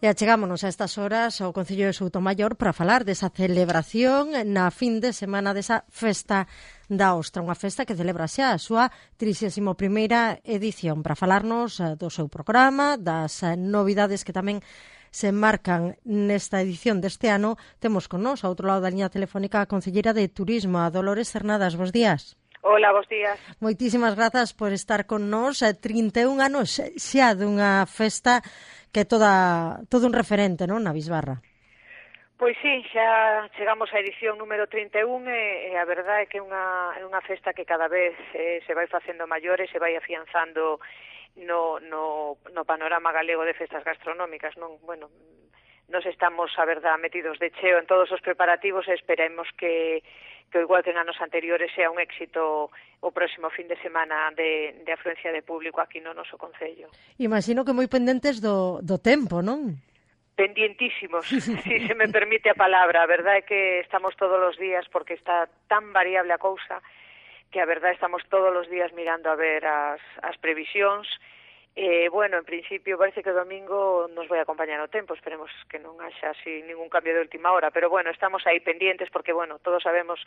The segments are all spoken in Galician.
E achegámonos a estas horas ao Concello de Soutomaior para falar desa celebración na fin de semana desa Festa da Ostra, unha festa que celebra xa a súa 31ª edición. Para falarnos do seu programa, das novidades que tamén se marcan nesta edición deste ano, temos con nós, ao outro lado da liña telefónica, a Concelleira de Turismo, a Dolores Cernadas. Bos días. Hola, bos días. Moitísimas grazas por estar con nós. 31 anos xa dunha festa que é todo un referente, non, na Bisbarra. Pois sí, xa chegamos á edición número 31 e a verdade é que é unha festa que cada vez se vai facendo maior e se vai afianzando no panorama galego de festas gastronómicas, non? Bueno, nos estamos, a verdade, metidos de cheo en todos os preparativos e esperemos que igual que en anos anteriores sea un éxito o próximo fin de semana de afluencia de público aquí no noso concello. Imagino que moi pendentes do tempo, non? Pendientísimos, si se me permite a palabra. A verdade é que estamos todos os días, porque está tan variable a cousa, que a verdade estamos todos os días mirando a ver as previsións. Bueno, en principio parece que o domingo nos vai acompañar o tempo, esperemos que non haxa así ningún cambio de última hora, pero bueno, estamos aí pendientes porque, bueno, todos sabemos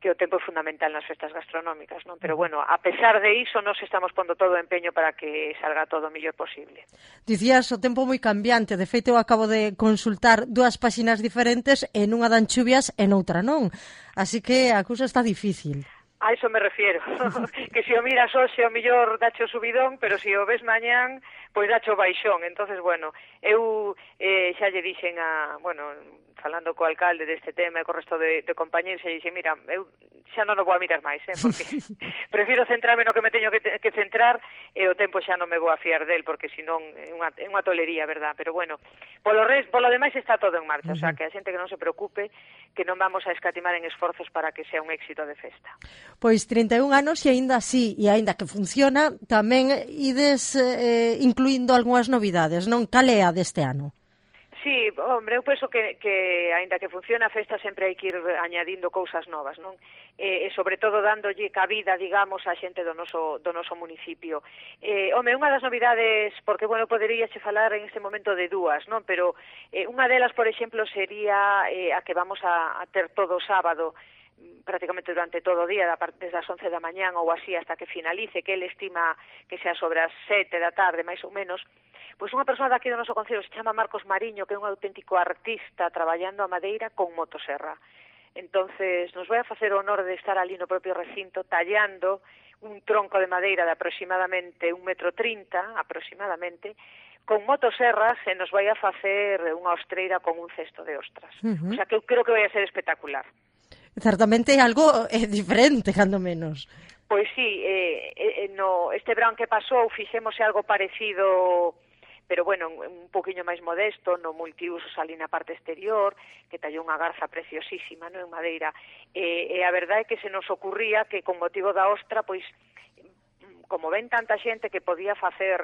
que o tempo é fundamental nas festas gastronómicas, non? Pero bueno, a pesar de iso, nos estamos pondo todo o empeño para que salga todo o mellor posible. Dicías o tempo moi cambiante, de feito eu acabo de consultar dúas páxinas diferentes, en unha dan chuvias e noutra non, así que a cousa está difícil. A iso me refiero, que se o miras hoxe o mellor dacho subidón, pero se o ves mañán, pois dacho baixón. Entonces, bueno, eu xa lle dixen falando co alcalde deste tema e co resto de compañeros, e dixen, mira, eu xa non o vou a mirar máis, porque prefiro centrarme no que me teño que centrar e o tempo xa non me vou a fiar del, porque senón é unha tolería, verdad? Pero bueno, polo demais está todo en marcha, o sea, que a xente que non se preocupe, que non vamos a escatimar en esforzos para que sea un éxito de festa. Pois 31 anos e aínda así, e aínda que funciona, tamén ides incluindo algunhas novidades, non? Cal é a deste ano? Sí, hombre, eu penso que aínda que funciona a festa sempre hai que ir añadindo cousas novas, non? E sobre todo dándolle cabida, digamos, á xente do noso municipio. Home, unha das novidades, porque, bueno, poderíache falar en este momento de dúas, non? Pero unha delas, por exemplo, sería a que vamos a ter todo o sábado, prácticamente durante todo o día, desde as 11 da mañán ou así hasta que finalice, que ele estima que sea sobre as 7 da tarde, máis ou menos, pois unha persoa daqui do noso concello se chama Marcos Mariño, que é un auténtico artista traballando a madeira con motosserra. Entonces, nos vai a facer o honor de estar ali no propio recinto tallando un tronco de madeira de aproximadamente 1,30 m, aproximadamente, con motosserras, e nos vai a facer unha ostreira con un cesto de ostras. O sea, que eu creo que vai a ser espectacular. Certamente é algo diferente, cando menos. Pois sí, este verán que pasou fixemos algo parecido, pero bueno, un poquinho máis modesto, no multiusos ali na parte exterior, que tallou unha garza preciosísima, non, en madeira, e a verdade é que se nos ocurría que con motivo da ostra, pois, como ven tanta xente que podía facer,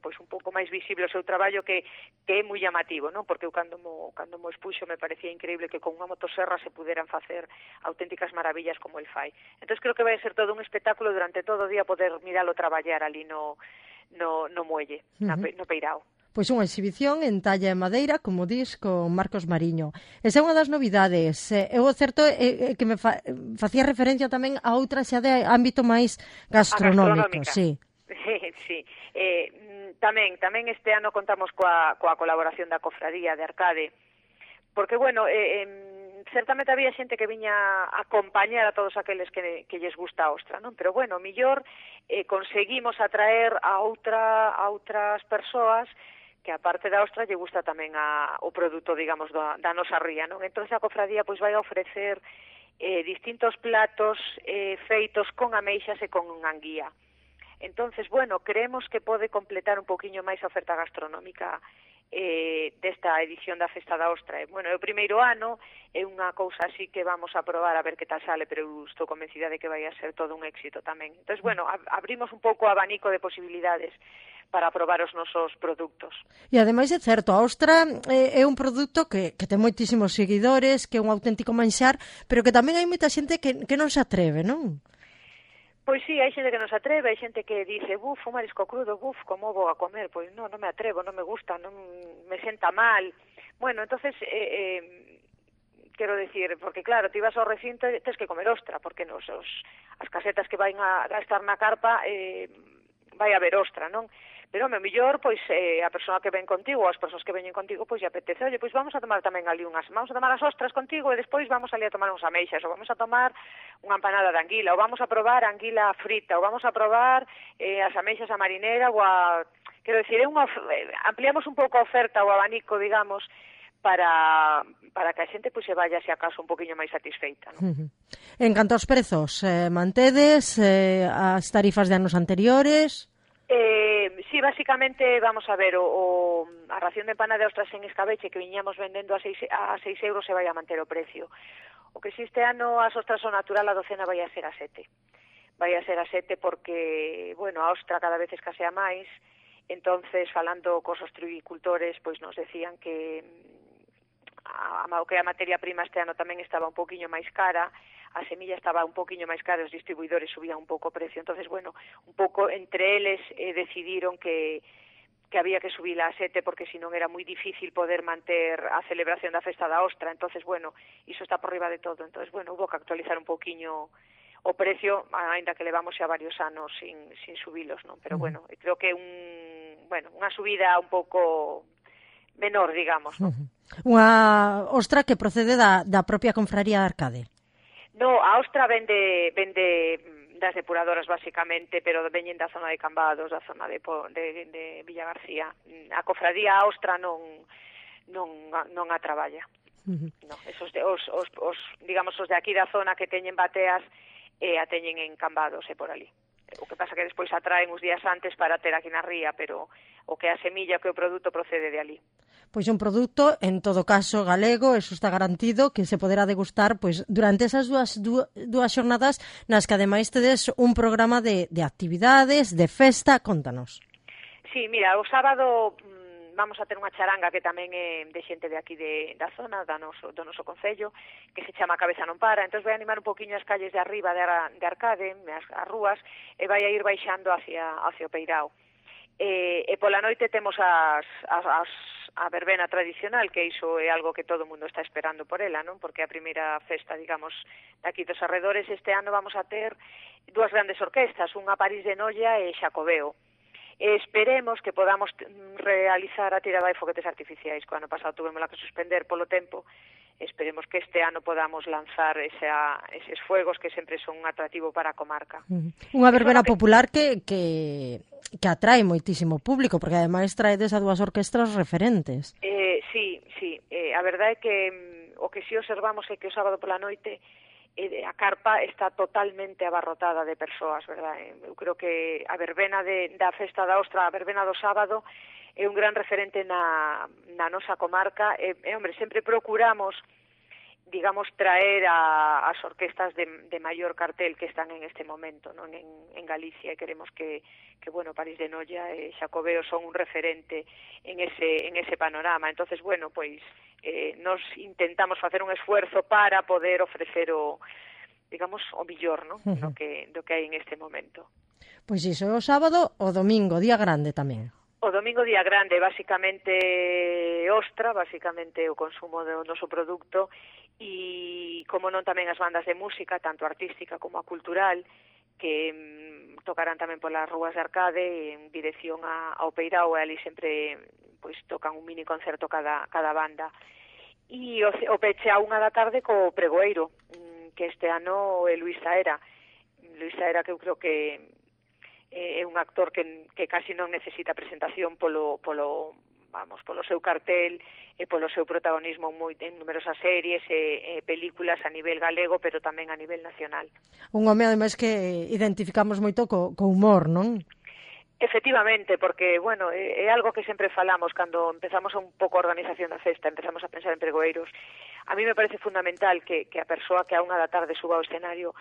pois un pouco máis visible o seu traballo, que é moi llamativo, non? Porque eu cando mo expuxo me parecía increíble que con unha motosserra se puderan facer auténticas maravillas como el fai. Entón creo que vai ser todo un espectáculo durante todo o día poder miralo traballar ali no muelle, no Peirao. Pois unha exhibición en talla e madeira, como dis, con Marcos Mariño. Esa é unha das novidades. O certo é que me facía referencia tamén a outra xa de ámbito máis gastronómico. Sí. Sí. Tamén este ano contamos coa colaboración da Cofradía de Arcade, porque, bueno, certamente había xente que viña a acompañar a todos aqueles que lles gusta a ostra, non? Pero, bueno, millor conseguimos atraer a outras persoas que aparte da ostra lle gusta tamén o produto, digamos, da nosa ría, non? Entón a cofradía pois vai a ofrecer distintos platos feitos con ameixas e con anguía. Entonces, bueno, creemos que pode completar un poquinho máis a oferta gastronómica desta edición da Festa da Ostra. Bueno, é o primeiro ano, é unha cousa así que vamos a probar a ver que tal sale, pero eu estou convencida de que vai a ser todo un éxito tamén. Entón, bueno, abrimos un pouco o abanico de posibilidades para probar os nosos produtos. E ademais é certo, a ostra é un produto que ten moitísimos seguidores, que é un auténtico manxar, pero que tamén hai moita xente que non se atreve, non? Pois sí, hai xente que non se atreve, hai xente que dice, buf, un marisco crudo, buf, como vou a comer? Pois non me atrevo, non me gusta, non me senta mal. Bueno, entonces, quero decir, porque claro, ti vas ao recinto e tens que comer ostra, porque as casetas que van a estar na carpa vai haber ostra, non? Pero, o mellor, pois, a persoa que ven contigo, ou as persoas que veñen contigo, pois, lle apetece, oye, pois vamos a tomar tamén ali vamos a tomar as ostras contigo e despois vamos ali a tomar uns ameixas, ou vamos a tomar unha empanada de anguila, ou vamos a probar a anguila frita, ou vamos a probar as ameixas a marinera, ou a... Quero dicir, ampliamos un pouco a oferta, o abanico, digamos, para que a xente pois se vaya, se acaso, un poquinho máis satisfeita, non? En canto aos prezos, mantedes as tarifas de anos anteriores? Sí, básicamente, vamos a ver, a ración de empanada de ostras en escabeche que viñamos vendendo a 6 euros se vai a manter o precio. O que si este ano as ostras son natural, a docena vai a ser a 7. Vai a ser a 7 porque, bueno, a ostra cada vez escasea máis, entonces, falando cos ostricultores, pois nos decían que a materia prima este ano tamén estaba un poquinho máis cara, a semilla estaba un poquinho máis cara, os distribuidores subían un pouco o precio, entonces, bueno, un pouco entre eles decidiron que había que subila a 7 porque senón era moi difícil poder manter a celebración da festa da ostra, entonces, bueno, iso está por riba de todo, entonces, bueno, hubo que actualizar un poquinho o precio, aínda que levamos xa varios anos sin subilos, non? Pero, bueno, creo que unha subida un pouco menor, digamos, non? Unha ostra que procede da propia confraría de Arcade. No, a ostra vende das depuradoras, basicamente, pero veñen da zona de Cambados, da zona de Villa García. A cofradía a ostra non a traballa. No, esos digamos, os de aquí da zona que teñen bateas a teñen en Cambados e por ali. O que pasa que despois a traen uns días antes para ter aquí na ría, pero o que a semilla, que o produto procede de ali. Pois un produto, en todo caso, galego, eso está garantido, que se poderá degustar pois durante esas dúas xornadas nas que ademais tedes un programa de actividades, de festa, contanos. Sí, mira, o sábado vamos a ter unha charanga que tamén é de xente de aquí da zona, do noso concello, que se chama Cabeza non para, entón vai animar un poquinho as calles de arriba de Arcade, as rúas, e vai a ir baixando hacia o Peirao. E pola noite temos a verbena tradicional, que iso é algo que todo o mundo está esperando por ela, non? Porque a primeira festa, digamos, daqui dos arredores, este ano vamos a ter dúas grandes orquestas, unha París de Noia e Xacobeo. Esperemos que podamos realizar a tirada de foguetes artificiais, que o ano pasado tuvemos que suspender polo tempo. Esperemos que este ano podamos lanzar eses fuegos que sempre son un atractivo para a comarca. Unha verbena popular que atrae moitísimo público, porque ademais traedes a dúas orquestras referentes. Sí, a verdade é que o que si observamos é que o sábado pola noite a carpa está totalmente abarrotada de persoas, verdade? Eu creo que a verbena da festa da ostra, a verbena do sábado, é un gran referente na nosa comarca e, hombre, sempre procuramos, digamos, traer as orquestas de maior cartel que están en este momento, non, en Galicia, e queremos que bueno, París de Noia e Xacobeo son un referente en ese panorama. Entonces, bueno, pois nos intentamos facer un esfuerzo para poder ofrecer digamos, o millor, non? Do que hai en este momento. Pois iso é o sábado, o domingo, día grande tamén. O domingo, día grande, basicamente ostra, basicamente o consumo do noso produto e, como non, tamén as bandas de música, tanto artística como a cultural, que tocarán tamén polas rúas de Arcade en dirección ao Peirao, e ali sempre pois tocan un mini concerto cada banda. E o peche a 1 da tarde co pregoeiro, que este ano é Luís Saera, que eu creo que é un actor que casi non necesita presentación polo seu cartel e polo seu protagonismo en numerosas series e películas a nivel galego, pero tamén a nivel nacional. Un home, ademais, que identificamos moito co humor, non? Efectivamente, porque, bueno, é algo que sempre falamos cando empezamos un pouco a organización da festa, empezamos a pensar en pregoeiros. A mí me parece fundamental que a persoa que a 1 da tarde suba ao escenario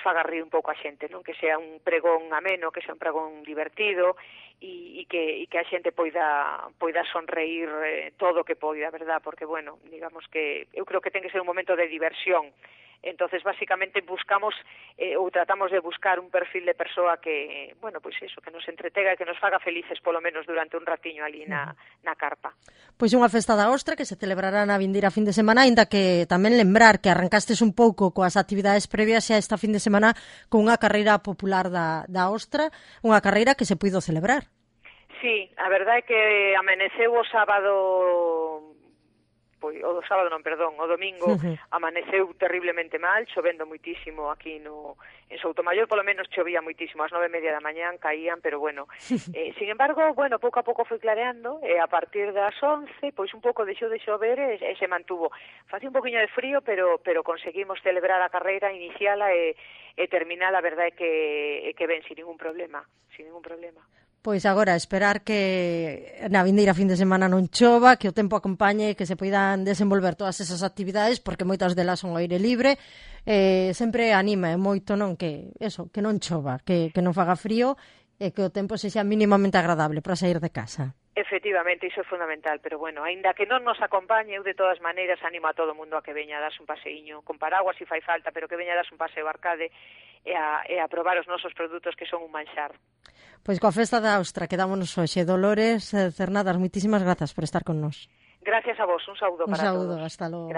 faga rir un pouco a xente, non? Que sea un pregón ameno, que sea un pregón divertido e que a xente poida sonreír todo o que poida, verdad? Porque, bueno, digamos que eu creo que ten que ser un momento de diversión. Entonces, básicamente, buscamos ou tratamos de buscar un perfil de persoa que, bueno, pois eso, que nos entretega e que nos faga felices polo menos durante un ratiño ali na carpa. Pois unha festa da Ostra que se celebrará na vindeira fin de semana, aínda que tamén lembrar que arrancastes un pouco coas actividades previas a esta fin de semana con unha carreira popular da Ostra, unha carreira que se puido celebrar. Sí, a verdade é que amaneceu o sábado, o domingo amaneceu terriblemente mal, chovendo moitísimo aquí en Soutomaior, polo menos chovía moitísimo, ás 9:30 da mañán caían, pero bueno, sin embargo, bueno, pouco a pouco foi clareando, e a partir das 11, pois un pouco deixou de chover e se mantuvo. Facía un poquinho de frío, pero conseguimos celebrar a carreira, iniciala e terminala, a verdade é que ben, sin ningún problema. Pois agora, esperar que na vindeira fin de semana non chova, que o tempo acompañe, que se poidan desenvolver todas esas actividades, porque moitas delas son ao aire libre. Sempre anima moito, non, que non chova, que non faga frío e que o tempo sexa mínimamente agradable para sair de casa. Efectivamente, iso é fundamental, pero bueno, aínda que non nos acompañe, eu de todas maneiras animo a todo o mundo a que veña a darse un paseíño, con paraguas se fai falta, pero que veña a darse un paseo arcade e a probar os nosos produtos que son un manxar. Pois coa festa da Ostra quedámonos hoxe. Dolores Cernadas, moitísimas grazas por estar con nós. Gracias a vos, un saúdo para todos. Un saúdo, hasta logo.